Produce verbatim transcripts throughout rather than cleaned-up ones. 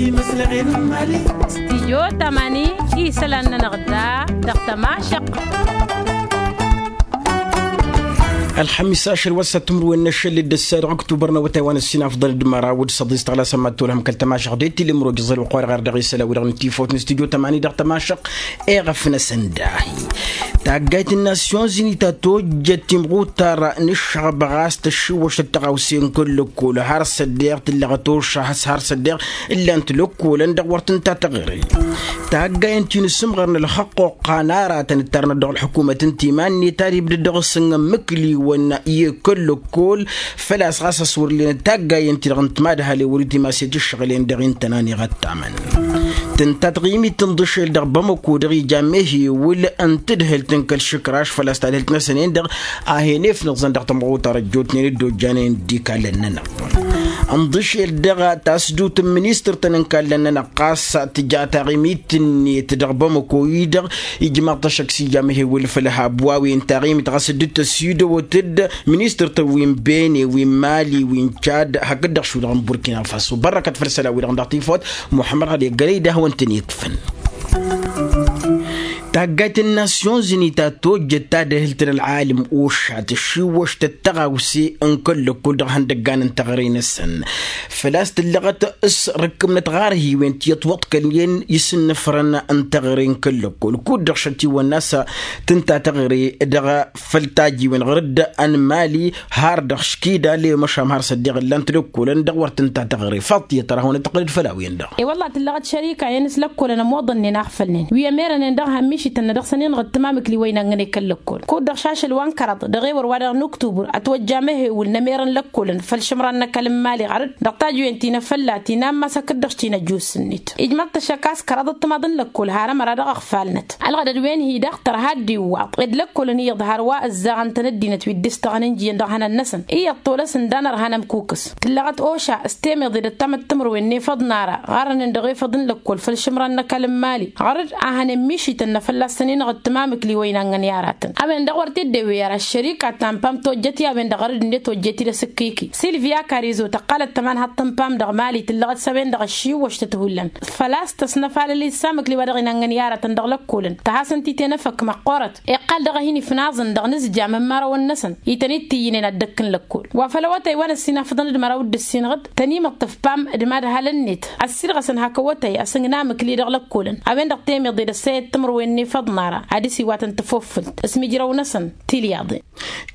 Stidyo tamani isălan-nănăɣ da dăɣ-tămašăq. Ălxămis ašăl wa s-ăttǝmrǝwen n-ašăl d-ăssa dăɣ-ăktubăr n-awătay wa n-ăssinafḍăl d-măraw d-săḍis tăɣlasăm ad-tolhăm kăl-tămašăq d-tilǝmroj iẓăl wa qori ɣar dăɣ-isălan wi-dăɣ n-tifawt n-stidyo tamani dăɣ-tămašăq. Eɣăf-năsăn dahi taggayt n-nasyon zini ta tojjăt timɣutar n-ǝššăɣbăɣ a-s tăššiwwăš tăttăɣawse n-kăl-lăkkol har s-ăddeɣ tǝllăɣăt ošăh a-s har s-ăddeɣ ǝllan-t lăkkolăn dăɣ-wăr tǝnta taɣre. Taggayăn ti n-asǝmɣăr n-ălxăqqoqqa n-aratăn ǝttarnăt dăɣ-ălḥukumăt n-timan-net ad-ibdăd dăɣ-s n-ǝmmǝkliwăn i-kăl-lăkkol făl-a-s ɣas a-s wăr ǝllenăt taggayăn-ti-dăɣ n-timadhalen wăr-itimas i-tǝššăɣǝlen dăɣ-intănan iɣăttamăn. Tǝnta taɣimit tǝnḍǝšel dăɣ-bamăko dăɣ-ija mehewǝl n-tadhǝlt n-kăl-išǝkraš făl-a-s tadhǝlt-năsăn-en-dăɣ a hen-efnăẓăn dăɣ-tămɣutar ăjjootnen dd-ojjanăyăn d-ikalăn-nănăɣ. Ǝnḍǝšel dăɣ-tasdut n-ministăr-tăn n-ikalăn-nănăɣ ɣas tǝja taɣimit-net dăɣ-bamăko-i-dăɣ ijmaḍ-t ăššăk s-ija mehewǝl făll-habwa wi n-taɣimit ɣas dd-tăsidăwăt-dd ministăr-tăn wi n-bene wi n-mali wi n-čad hakd-dăɣ šudăɣ n-burkina faso bărrăkăt făll-isălan-wi-dăɣ n-dăɣ-tifawt. Muḥămmăd ɣad egălăy d-ahwăn-tăn-ikfăn. Taggayt n-nasyon zini ta tojjăt tadhǝlt n-ălɣalǝm oša tǝššiwwăš tăttăɣawse n-kăl-lăkkol dăɣ-ihăndăggan n-teɣăre-năsăn făl-a-s tǝllăɣăt s-rǝkkǝmnăt ɣarhiwen ti ătwăḍkălnen isǝnnǝfrăn n-teɣăre n-kăl-lăkkol kud-dăɣ šătiwănna s-tǝnta teɣăre dăɣ-făll-tajiwen ɣur-dd ănmali har dăɣ-škida lewămăšam har s-ăddiɣ ǝllan-t lăkkolăn dăɣ-wăr tǝnta teɣăre faḍt tiyyăt ărhawăn ăttăqqǝlăd făll-a-wen-dăɣ. E-wălla tǝllăɣăt šărika-en s-lăkkolăn ămoḍănnen aɣfălnen wi ămerănen dăɣ-ihămmišităn-nănăɣ s-ăninɣăt tǝmamǝkli wa inănnăne kăl-lăkkol kud-dăɣ šašăl wa n-kăraḍ dăɣ-ewăr wa dăɣ-nuktubur ătwăjja mehewǝl n-ămerăn lăkkolăn făll-išǝmran n-ăkall n-mali ɣărăd dăɣ-tajwen ti n-afălla ti n-ammas hakd-dăɣ ti n-ăjus-net ijmăḍ-t ăššăk a-s kăraḍăt timaḍ n-lăkkol har ămăra dăɣ-iɣfal-năt. Ălɣădăd-wen-hi daɣ tărha dd-iwwaḍ ed lăkkolăn iyyăḍ har wa ǝzzaɣăn-tăn ăddinăt wi dd-istăɣăn ǝnjǝyăn dăɣ-ihănan-năsăn iyyăḍ tolăs ǝndan ărhan ămkukǝs. Tǝllăɣăt oša s-temeḍe d-ăttamăttǝmrǝwen n-efăḍ n-ara ɣarrănen dăɣ-efăḍ n-lăkkol făll-išǝmran n-ăkall n-mali ɣărăd a hănen mišităn n-afălla s-ăninɣăt tǝmamǝkli wa inănnăn i-aratăn a-wen-dăɣ wăr t-dd-ewey ara ăššărika ta n-pam tojjăt i-a-wen-dăɣ ɣărăd-net ojjet-i d-asǝkkiki silvia karizo tăqqalăt tămanhaḍt n-pam dăɣ-mali tǝllăɣăt s-a-wen-dăɣ ăššiwwăš tăt-hullan făl-a-s tăsnăfalăl issamǝkli wa dăɣ-inănnăn i-aratăn dăɣ-lăkkolăn tăhasăn-t-i tenăfăk măqqoorăt iqqal dăɣ-hin-ifnaẓăn dăɣ-inǝzjam n-imărăwăn-năsăn ităn-dd-tǝyyǝnen ad-dd-ăkk n-lăkkol wa făll-awătay wa n-ăssinafăḍăn d-măraw d-ǝssin ɣǝd tăn-imǝṭṭǝf pam d-imadhalăn-net ăssiilɣăsăn hak awătay asǝngnamǝkli dăɣ-lăkkolăn a-wen-dăɣ temeḍe d-ăssayăt timǝrwen n-efăḍ n-ara ad-dăr-s iwatăn tăfoffǝlt s-imǝjrăw-năsăn tilyaḍen.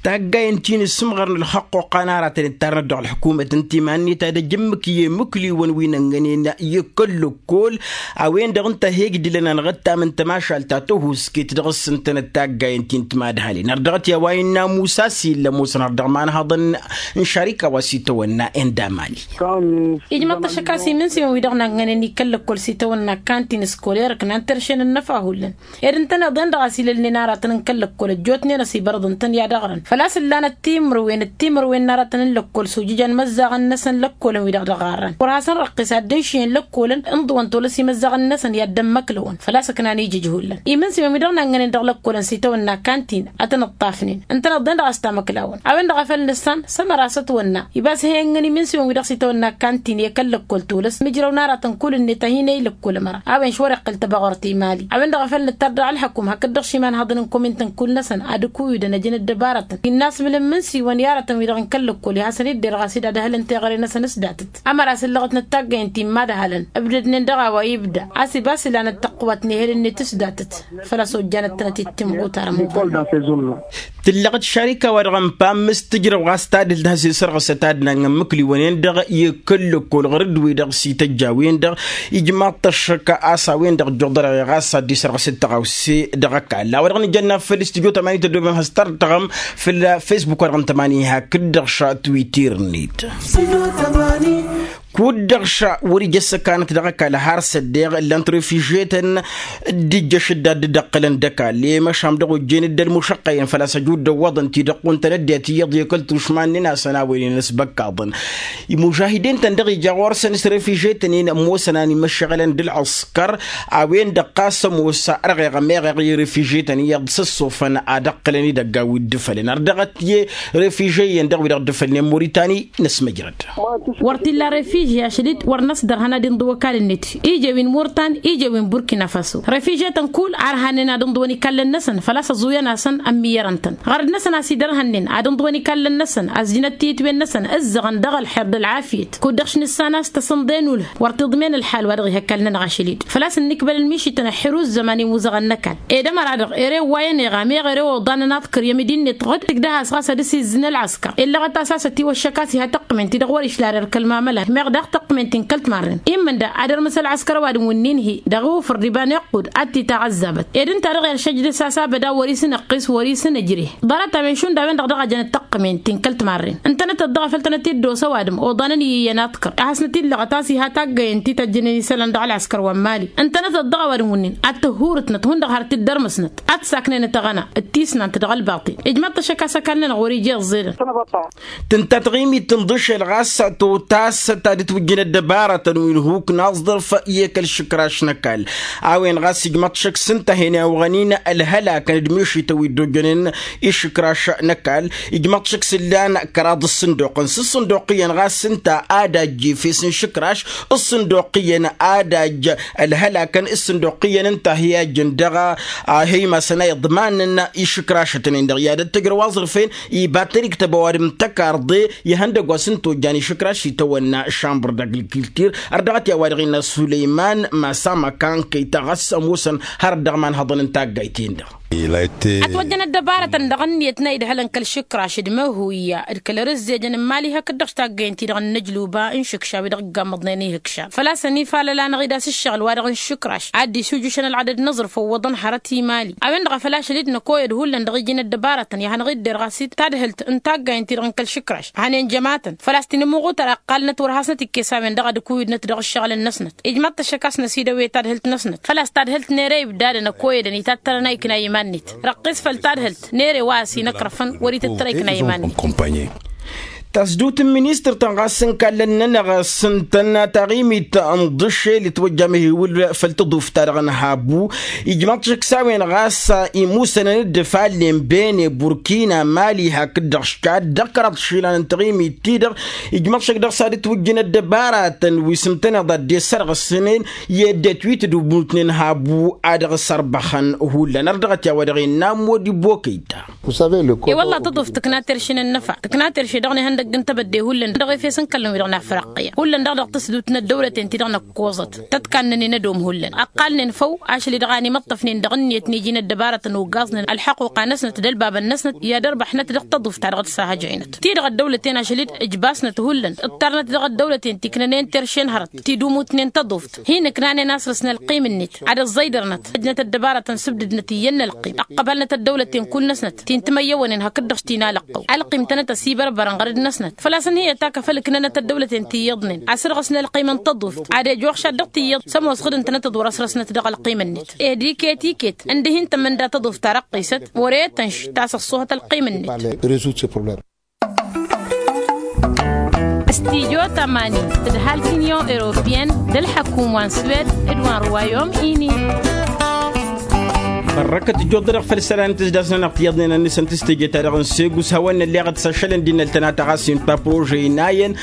Taggayen ti n-asǝmɣar n-ălxăqqoqqa n-aratăn ittarnăt dăɣ-ălḥukumăt n-timan-net ad-ăj ǝmmǝk i-imǝkliwăn wi n-ănnănen i-kăl-lăkkol a-wen-dăɣ ǝnta a he-ǝgdǝlăn anɣăttam n-tămašalt ta tăhusket dăɣ-s ǝntănăt taggayen ti n-timadhalen har dăɣ-t i-a-wa innă musa s-illa ămoosăn har dăɣ-imanhaḍăn n-šarika wa s-itawănna enda mali. Ijmăḍ-t ăššăk a-s imǝnsiwăn-wi-dăɣ n-ănnănen i-kăl-lăkkol s-itawănna kantin s-koler ǝknan terše n-ănnăfa hullan ed ǝntăneḍ-en dăɣ-a-s ilălnen aratăn n-kăl-lăkkol ăjjootnen ăsibărăḍ ǝntăn i-ad-ăɣrăn făl-a-s ǝllanăt timǝrwen d-timǝrwen n-aratăn n-lăkkol s-ujǝjan imăzzaɣăn-năsăn lăkkolăn-wi-dăɣ dăɣ-arran wăr hasăn-răqqes ad-dd-ǝnšǝyăn lăkkolăn ǝnḍǝwăn tolăs imăzzaɣăn-năsăn i-ad-dd-ămmăklăwăn făl-a-s ǝknan ijǝj hullan imǝnsiwăn-wi-dăɣ n-ănnănen dăɣ-lăkkolăn s-itawănna kantin ad-tăn-ǝṭṭafnen ǝntăneḍ-en dăɣ-a-s tamăklawăn a-wen-dăɣ a făl nǝssan s-ămăra s-ătwănna ibas he-ănnăn imǝnsiwăn-wi-dăɣ s-itawănna kantin i-kăl-lăkkol tolăs mǝjrăw n-aratăn kull-net a hin-e-ilăkkol ămăra a-wen šwăr-iqqǝl tăbăɣurt i-mali a-wen-dăɣ a făl nǝttar dăɣ-ălḥăkum hakd-dăɣ šimanhăḍăn n-komintăn kull-năsăn ad-ǝkuyǝdăn ăjăn ăddăbarătăn innă a-s mǝl n-imǝnsiwăn i-aratăn-wi-dăɣ n-kăl-lăkkol i-hasăn-dd-derɣ a-s dd-adhălăn teɣăre-năsăn s-datăt ămăra s-ǝllăɣăt n-taggăyăn ti n-imadhălăn ǝbdădnen dăɣ-a-wa ibda a-s ibas ǝlanăt tăqqǝwat n-ehel-net s-datăt făl-a-s ojjanăt-tănăt i-timɣutar ămutănna. Tǝllăɣăt šarika-wa-dăɣ n-pam s-tǝjrăw ɣas tadǝlt has-isărɣǝsăt ad-nangăn mǝkliwăn-en-dăɣ i-kăl-lăkkol ɣur-dd-wi-dăɣ s-ităjj a-wen-dăɣ ijmaḍ-t ăššăk a-s a-wen-dăɣ ǝjjuḍărăɣ i-ɣas ad-dd-isărɣǝsăt tăɣawse dăɣ-ăkall a-wa dăɣ-nǝjănna făll-studyo tămani tăddobem has-tărtăɣăm făll-facebook-wa-dăɣ n-tămani hakd-dăɣ ša twitter-net. Kud-dăɣ ša wăr-ija ăssăkanăt dăɣ-ăkall har s-ăddeɣ ǝllan-t refiže-tăn d-ija šădda dd-ăqqǝlăn d-ăkall i-măšam dăɣ-ojjen dd-ălmušăqqăyăn făl-a-s ăjud dăwwăḍăn-t-i dăɣ-kuntăn ăddinăt iyyăḍ i-kăl-tušma n-inasăn a-wen-in ăsbăkkaḍăn. Imužahiden-tăn-dăɣ ija ɣur-săn s-refiže-tăn-in ămoosăn a n-imăššăɣǝlăn d-ălɣǝskăr a-wen-dăɣ ɣas ămoos ărɣeɣ ămeɣeɣ i-refiže-tăn iyyăḍ s-ăssofăn ad-ăqqǝlăn idăggan wi dd-ǝfălăn har dăɣ-t i-refiže-iyyăn dăɣ-wi-dăɣ dd-ǝfălnen moritani. Năsmăjrăd. Wăr t-illa refiže. Ašăl-dd wăr năsdărhăn ad-inḍǝw ăkall-net ija wi n-murtan ija wi n-burkina faso refiže-tăn kull a ărhannen ad-inḍǝwăn ikallăn-năsăn făl-a-s ăẓuyăn-asăn ămmiyyărăn-tăn. Ɣărăd-năsăn a-s idărhănnen ad-inḍǝwăn ikallăn-năsăn ăzjǝnăt tiyǝtwen-năsăn ǝzzăɣăn dăɣ-ălxer d-ălɣafyăt kud-dăɣ š-nǝssan a-s tăsǝnḍe n-ulh wăr t-iḍmen ălḥal wa dăɣ-ih ăkall-nănăɣ ašăl-dd. Făl-a-s ǝnnikbălăn mišităn ăḥḥir uzzăman i-imuzăɣăn n-ăkall ed ămăra-dăɣ ere ǝwwayăn eɣa meɣ ere oḍan ănaḍkăr i-ămidinnet ɣǝd tǝkdăh-as ɣas ad-ăsizzǝn ălɣăskăr. Illăɣăt a-s a-s ătiwăššăk a-s iha tăqqǝmen-ti-dăɣ wăr-išla ărkăl mamăla meɣ daɣ tăqqǝmen-ti n-kăl-timarren immǝnda ad-ărmǝs ălɣăskăr ăwadǝm wǝnnin-hi dăɣ-iwǝfǝr d-iba n-iqqud ad-t-itaɣ ăzzabăt ed ǝnta-dăɣ iršăj dăɣ-s a-s abăd a wăr-isǝnăqqis wăr-isǝnǝjreh. Ḍarăt-a-wen šund a-wen-dăɣ dăɣ-a jănăt tăqqǝmen-ti n-kăl-timarren ǝntănătăt dăɣ-a făl tănăt-dd-osa ăwadǝm oḍanăn iyyăn aḍkăr a hasnăt-illăɣăt a-s iha taggayen ti tăjjănen isălan dăɣ-ălɣăskăr wa n-mali ǝntănătăt dăɣ-ăwadǝm wǝnnin ad-tăhhurǝtnăt hundăɣ har t-dd-ărmǝsnăt ad-t-saknenăt aɣăna d-tisnant dăɣ-ălbaṭel. Ijmaḍ-t ašăk a-s ăkall-nănăɣ wăr-ija iẓẓedăn. Tǝnta taɣimit n-iḍǝšel ɣas totast ta dd-twǝjjǝn ăddăbarătăn wi n-huk n-aẓḍărf i-kăl-išǝkraš n-ăkall. A-wen ɣas ijmaḍ-t ašăk s-ǝnta a hen-iwɣăn-in ălhălakăn d-mišităn wi dd-ojjănen išǝkraš n-ăkall. Ijmaḍ-t ašăk s-ǝllan kăraḍ ǝssǝnduqăn s-ǝssǝnduq iyyăn ɣas ǝnta ad-ajj efes n-išǝkraš ǝssǝnduq iyyăn ad-ajj ălhălakăn ǝssǝnduq iyyăn ǝnta a hi-ajjăn dăɣ-a hăymasăn a iḍmanăn išǝkrašătăn-en-dăɣ i-ad-ăttăjrăw aẓrǝf-en iba tăriktăb ăwadǝm n-tăkarḍe ihăndăgg wa s-ǝnta ojjan išǝkraš itawănna šambăr d-agrikultur. Ărdăɣăt i-a-wa-dăɣ innă sulăyman masa măkan kăy-ta ɣas ămoosăn hărăt dăɣ-imanhăḍăn n-taggayt-en-dăɣ. Ătwăjjăn ăddăbarătăn dăɣ-ǝnniyăt n-a-idhălăn kăl-išǝkraš d-măhuya d-kăl-ărǝzzejăn n-imali hakd-dăɣ taggăyăn-ti-dăɣ n-inǝjluba n-išǝkša wi-dăɣ ǝggammăḍnen ihǝkša. Făl-a-s ănifalăl-anăɣ-dd a-s ǝššăɣǝl wa-dăɣ n-išǝkraš ad-dd-isujušăn ălɣadăd n-aẓrǝf ăwwăḍăn hărăt i-imali. A-wen-dăɣ a făl ašăl-dd năkoyăd hullan dăɣ-iji n-ăddăbarătăn i-ad-hanăɣ-idder ɣas-dd tadhǝlt n-taggayăn-ti-dăɣ n-kăl-išǝkraš a hănen jămatăn făl-a-s tinǝmmuɣutăr a ǝqqalnăt wăr hasnăt-ikkes a-wen-dăɣ ad-ǝkuwǝdnăt dăɣ-ǝššăɣǝlăn-năsnăt. Ijmaḍ-t ašăk a-s năsidăwe tadhǝlt-năsnăt făl-a-s tadhǝlt n-ere ibdadăn ăkoyădăn itattărăn a ikna i-iman-net răqqis făll-tadhǝlt n-ere wa a-s inăkrăfăn wăr-itǝttăr a ikna i-iman-net. Tasdut n-ministăr-tăn ɣas n-kallăn-nănăɣ s-ǝntăn taɣimit n-iḍǝšel itwăjja amhiwǝl făll-tăḍuft-ta-dăɣ n-habu. Ijmăḍ-t ašăk s-a-wen ɣas imusănăn-dd fallen bene burkina mali hakd-dăɣ šad dăɣ-kăraḍ išilan n-taɣimit-ti-dăɣ. Ijmăḍ-t ašăk dăɣ-s ad-ǝtwǝjjǝn ăddăbaratăn wi s-ǝntăneḍ ad-dd-e-sărɣǝsnen i-ăddinăt wi tǝdumutnen habu ad-dăɣ-sărbăxăn. Hullan ărdăɣăt i-a-wa dăɣ-innă modi bokăyta. I-wălla tăḍuft tǝkna terše n-ănnăfa tǝkna terše dăɣ-nihăndăgg n-tebădde hullan dăɣ-efes n-kăllăn-wi-dăɣ n-afriqqiya hullan dăɣ-dăɣ tǝsdut n-ăddăwlăten-ti-dăɣ năkkoẓăt tătkannănen ădom hullan ăqqalnen făw. Ašăl-i-dăɣ a nimǝṭṭăfnen dăɣ-ǝnniyăt n-iji n-ăddăbarătăn oggaẓnen ălḥăquqa-năsnăt d-ălbabăn-năsnăt i-ad-ărbăḥnăt dăɣ-tăḍuft ta dăɣ-dd-sahăjăynăt ti-dăɣ ăddăwlăten ašăl-i-dd ǝjbasnăt hullan ǝṭṭarnăt dăɣ-ăddăwlăten ti ǝknănen terše n-hărăt tidumutnen tăḍuft hin-ǝknanen a săr-s n-ălqim-net ad-ăẓẓăydărnăt ăjnăt ăddăbarătăn sǝbdǝdnăt iyyăn n-ălqim ăqqăbălnăt ăddăwlăten kull-năsnăt ti n-timăyyăwănen hakd-dăɣ š-tinalăqqăw ălqim tănăt-ăsibărbărăn ɣăr-dd-năsnăt făl-a-s ǝnhǝyăt a kăfăl ǝknănăt ăddăwlăten ti iyyăḍnen asărɣǝs n-ălqim n-tăḍuft ad-ejjuɣ šaddăɣ ti iyyăḍ s-ămoos ɣǝd ǝntănăt d-wăr-ăsrăsnăt dăɣ-ălqim-net. Ed iket iket ǝndǝh-i n-tămănda tăḍuft ta răqqisăt wăr-e tănš ta s-ăṣṣuhăt ălqim-net. Studyo tămani tǝdhal t-inyon europiyăn d-ălḥăkum wa n-swed d-wa n-ruwayom ini. Ărrăkăt ǝjjuḍ-dăɣ făll-isălan n-tǝzdas-nănăɣ tiyyăḍnen ănnisăn tǝstejăt-ta-dăɣ n-segu s-hawăn-nălleɣăt s-ašălăn d-innăl tănata ɣas inta prože inayăn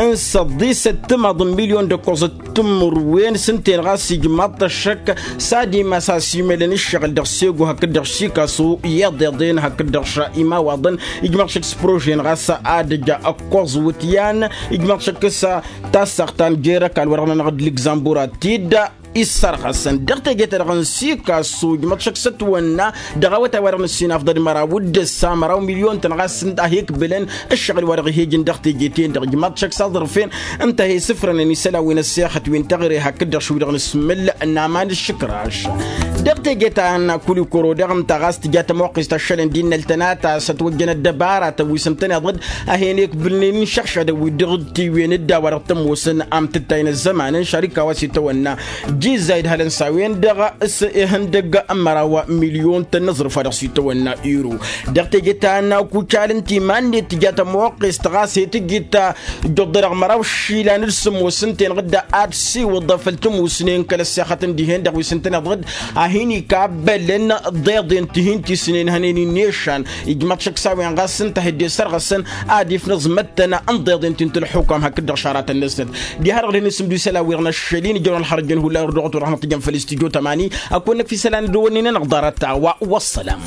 n-săḍisăt timaḍ n-milyon d-ăkkoẓăt timǝrwen s-ǝnta-en ɣas ijmaḍ-t ăššăk s-ad-imas a-s imălăn ǝššăɣǝl dăɣ-segu hakd-dăɣ šikasu iḍeḍen hakd-dăɣ š-imawaḍăn. Ijmaḍ-t ăššăk s-prože-en ɣas ad-ăj ăkkoẓ wǝtyan ijmaḍ-t ăššăk s-tassaɣt ta n-jer-ăkall wa dăɣ-nănăɣ d-lǝgzambura tidda issărɣăsăn dăɣ-teje-ta-dăɣ n-sikasu ijmăḍ šăk s-ătwănna dăɣ-awătay wa dăɣ-nǝssin afḍăd măraw d-ǝssa măraw milyon-tăn ɣas ǝnta a he-ǝkbǝlăn ǝššăɣǝl wa dăɣ-ih'-ejǝn dăɣ-teje-ten-dăɣ ijmăḍ šăk s-aẓrǝf-en ǝnta a he-sǝfrănăn isălan wi n-ăssexăt wi n-teɣăre hakd-dăɣ šwi dăɣ-nǝsmǝl n-aman ǝššǝkraš. Dăɣ-teje ta n-kulikoro daɣ ǝnta ɣas tǝja tămoqqest ašălăn d-innăl tănata s-ătwăjjăn ăddăbaratăn wi s-ǝntăneḍ-dd a hen-ekbǝlnen n-išăɣšadăn wi dăɣ-tiwwen d-a-wa dăɣ-tămoosăn amtǝttay n-ăzzăman n-šarika wa s-itawănna jizza idhălăn s-a-wen-dăɣ s-ihăndăgg n-măraw milyon-tăn n-aẓrǝf wa dăɣ-s itawănna iro. Dăɣ-teje ta n-akucal n-timan-net tǝja tămoqqest ɣas he-tǝjǝt ǝjjuḍ-dăɣ măraw išilan d-sǝmmos ǝnta-enăɣ dd-ad-siwǝḍ făll-tămusnen kăl-ăssexăt n-dihen-dăɣ wi s-ǝntăneḍ-dd. a hin-ikabbălăn ḍeḍen ti hin-tisnen hănen-in ešan. Ijmăḍ šăkk s-a-wen ɣas ǝnta a hi-dd-esărɣăsăn ad-ifnǝẓ măttăn n-ḍeḍen ti n-tǝlxukam hakd-dăɣ šaratăn-năsnăt. Diha-dăɣ dăɣ-hin-isǝmdǝw isălan wi dăɣ-năššăl-in ijrăwăn ălxărăjăn hullan ur-dăɣ-tăwăr hanăt-tǝjăn făll-istudyo tămani. Ăkk wănnăk f-isălan d-wănnin-anăɣ ḍarăt-ta wa. Wăssălam.